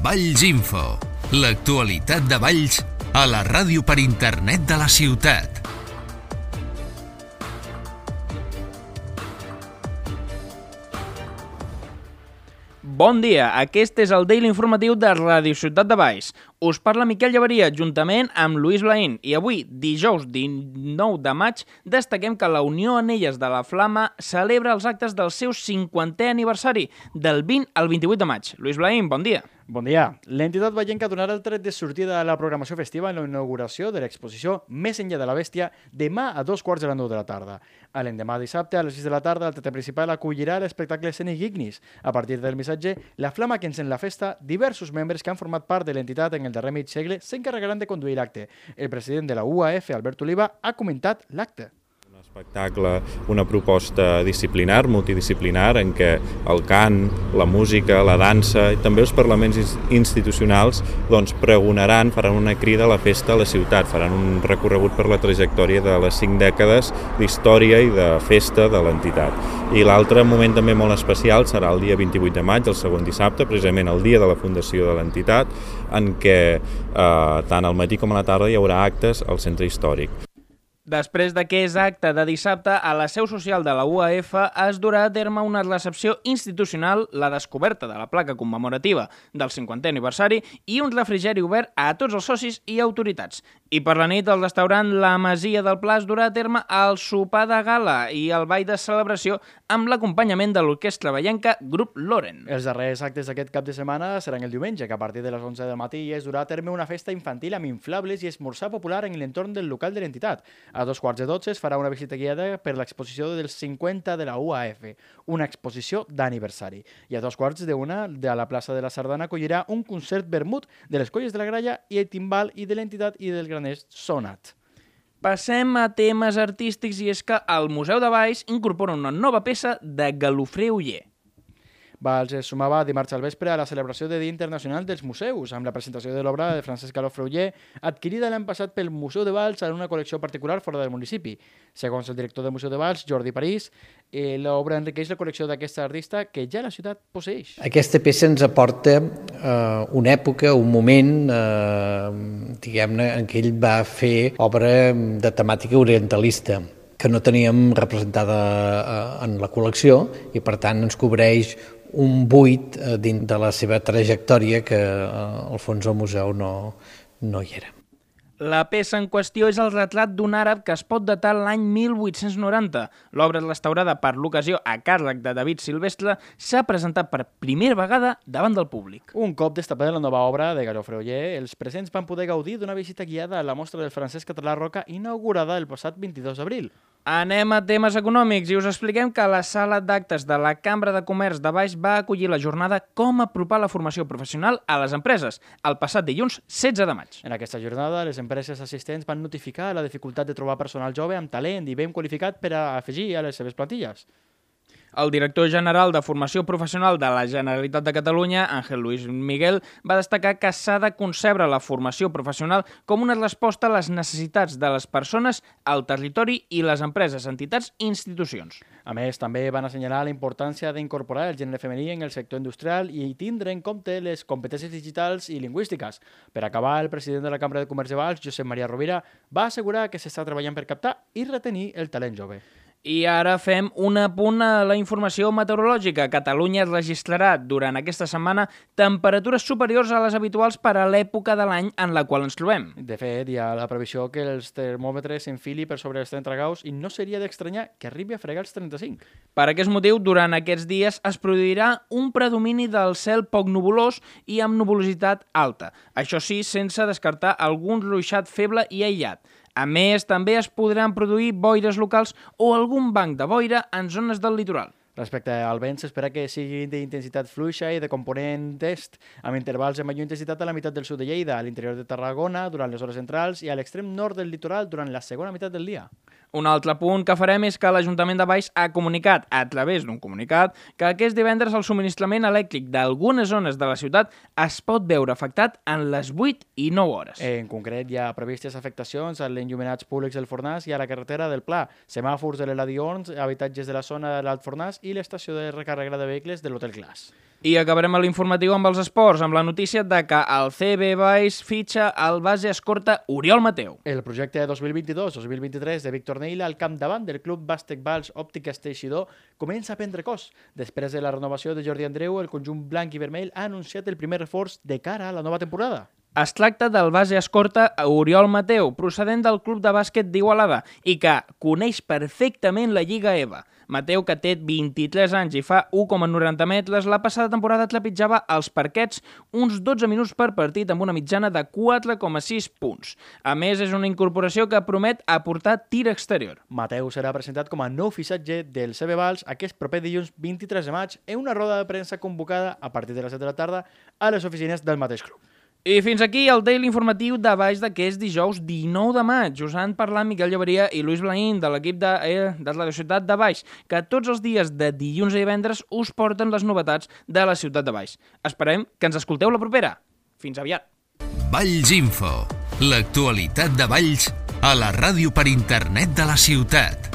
Valls Info, l'actualitat de Valls a la ràdio per internet de la ciutat. Bon dia, aquest és el Daily Informatiu de Ràdio Ciutat de Valls. Us parla Miquel Llaveria, juntament amb Lluís Blaín. I avui, dijous 19 de maig, destaquem que la Unió Anelles de la Flama celebra els actes del seu 50è aniversari, del 20 al 28 de maig. Lluís Blaín, bon dia. Bon dia. L'entitat vallenca donarà el tret de sortida a la programació festiva en la inauguració de l'exposició Més enllà de la bèstia demà a 2:45 de la tarda. A l'endemà dissabte, a les 6 de la tarda, el teatre principal acollirà l'espectacle escènic Ignis. A partir del missatge, la flama que encén la festa, diversos membres que han format part de l'entitat en el darrer mig segle s'encarregaran de conduir l'acte. El president de la UAF, Albert Oliva, ha comentat l'acte. Espectacle, una proposta disciplinar, multidisciplinar, en què el cant, la música, la dansa i també els parlaments institucionals pregonaran, faran una crida a la festa a la ciutat, faran un recorregut per la trajectòria de les 5 dècades d'història i de festa de l'entitat. I l'altre moment també molt especial serà el dia 28 de maig, el segon dissabte, precisament el dia de la fundació de l'entitat, en què tant al matí com a la tarda hi haurà actes al centre històric. Després d'aquest acte de dissabte, a la seu social de la UAF es durà a terme una recepció institucional, la descoberta de la placa commemorativa del 50è aniversari i un refrigeri obert a tots els socis i autoritats. I per la nit, al restaurant La Masia del Pla es durà a terme el sopar de gala i el ball de celebració amb l'acompanyament de l'orquestra vallenca Grup Loren. Els darrers actes d'aquest cap de setmana seran el diumenge, que a partir de les 11 del matí es durà a terme una festa infantil amb inflables i esmorzar popular en l'entorn del local de l'entitat. A 2:45 es farà una visita guiada per l'exposició dels 50 de la UAF, una exposició d'aniversari. I a 2:45 de la plaça de la Sardana acollirà un concert vermut de les Colles de la Gralla i el timbal i de l'entitat i del graners Sonat. Passem a temes artístics i és que el Museu de Valls incorpora una nova peça de Galofré Oller. Valls es sumava dimarts al vespre a la celebració del Dia Internacional dels Museus, amb la presentació de l'obra de Francesc Galofré Oller, adquirida l'any passat pel Museu de Valls en una col·lecció particular fora del municipi. Segons el director del Museu de Valls, Jordi París, l'obra enriqueix la col·lecció d'aquesta artista que ja la ciutat posseix. Aquesta peça ens aporta una època, un moment, diguem-ne, en què ell va fer obra de temàtica orientalista, que no teníem representada en la col·lecció i, per tant, ens cobreix un buit dins de la seva trajectòria que, al fons, al museu no hi era. La peça en qüestió és el retrat d'un àrab que es pot datar l'any 1890. L'obra restaurada per l'ocasió a càrrec de David Silvestre s'ha presentat per primera vegada davant del públic. Un cop destapada la nova obra de Galofré Oller, els presents van poder gaudir d'una visita guiada a la mostra del francès Català Roca inaugurada el passat 22 d'abril. Anem a temes econòmics i us expliquem que la sala d'actes de la Cambra de Comerç de Valls va acollir la jornada Com apropar la formació professional a les empreses, el passat dilluns 16 de maig. En aquesta jornada, les empreses assistents van notificar la dificultat de trobar personal jove amb talent i ben qualificat per a afegir a les seves plantilles. El director general de Formació Professional de la Generalitat de Catalunya, Ángel Luis Miguel, va destacar que s'ha de concebre la formació professional com una resposta a les necessitats de les persones, al territori i les empreses, entitats i institucions. A més, també van assenyalar la importància d'incorporar el gènere femení en el sector industrial i tindre en compte les competències digitals i lingüístiques. Per acabar, el president de la Cambra de Comerç de Valls, Josep Maria Rovira, va assegurar que s'està treballant per captar i retenir el talent jove. I ara fem un apunt a la informació meteorològica. Catalunya registrarà durant aquesta setmana temperatures superiors a les habituals per a l'època de l'any en la qual ens trobem. De fet, hi ha la previsió que els termòmetres s'enfili per sobre els 30 graus i no seria d'estranyar que arribi a fregar els 35. Per aquest motiu, durant aquests dies es produirà un predomini del cel poc nuvolós i amb nuvolositat alta. Això sí, sense descartar algun ruixat feble i aïllat. A més, també es podran produir boires locals o algun banc de boira en zones del litoral. Respecte al vent, s'espera que sigui d'intensitat fluixa i de component est, amb intervals de major intensitat a la meitat del sud de Lleida, a l'interior de Tarragona durant les hores centrals i a l'extrem nord del litoral durant la segona meitat del dia. Un altre punt que farem és que l'Ajuntament de Valls ha comunicat, a través d'un comunicat, que aquest divendres el subministrament elèctric d'algunes zones de la ciutat es pot veure afectat en les 8 i 9 hores. En concret, hi ha previstes afectacions als enllumenats públics del Fornàs i a la carretera del Pla, semàfors de l'Eladions, habitatges de la zona de l'Alt Fornàs i l'estació de recàrrega de vehicles de l'Hotel Glass. I acabarem l'informatiu amb els esports, amb la notícia de que el CB Valls fitxa el base escorta Oriol Mateu. El projecte 2022-2023 de Víctor Neila al capdavant del Club Bàsquet Valls Òptiques Teixidor comença a prendre cos. Després de la renovació de Jordi Andreu, el conjunt blanc i vermell ha anunciat el primer reforç de cara a la nova temporada. Es tracta del base escorta Oriol Mateu, procedent del Club de Bàsquet d'Igualada i que coneix perfectament la Lliga EVA. Mateu, que té 23 anys i fa 1,90 metres, la passada temporada trepitjava als parquets uns 12 minuts per partit amb una mitjana de 4,6 punts. A més, és una incorporació que promet aportar tir exterior. Mateu serà presentat com a nou fitxatge del CB Valls aquest proper dilluns 23 de maig en una roda de premsa convocada a partir de les 7 de la tarda a les oficines del mateix club. I fins aquí el Daily informatiu de Valls d'aquest dijous 19 de maig. Us han parlat Miquel Lloberia i Luis Blaín de l'equip de Radio Ciutat de Valls, que tots els dies de dilluns a divendres us porten les novetats de la ciutat de Valls. Esperem que ens escolteu la propera. Fins aviat. Valls Info, l'actualitat de Valls a la ràdio per internet de la ciutat.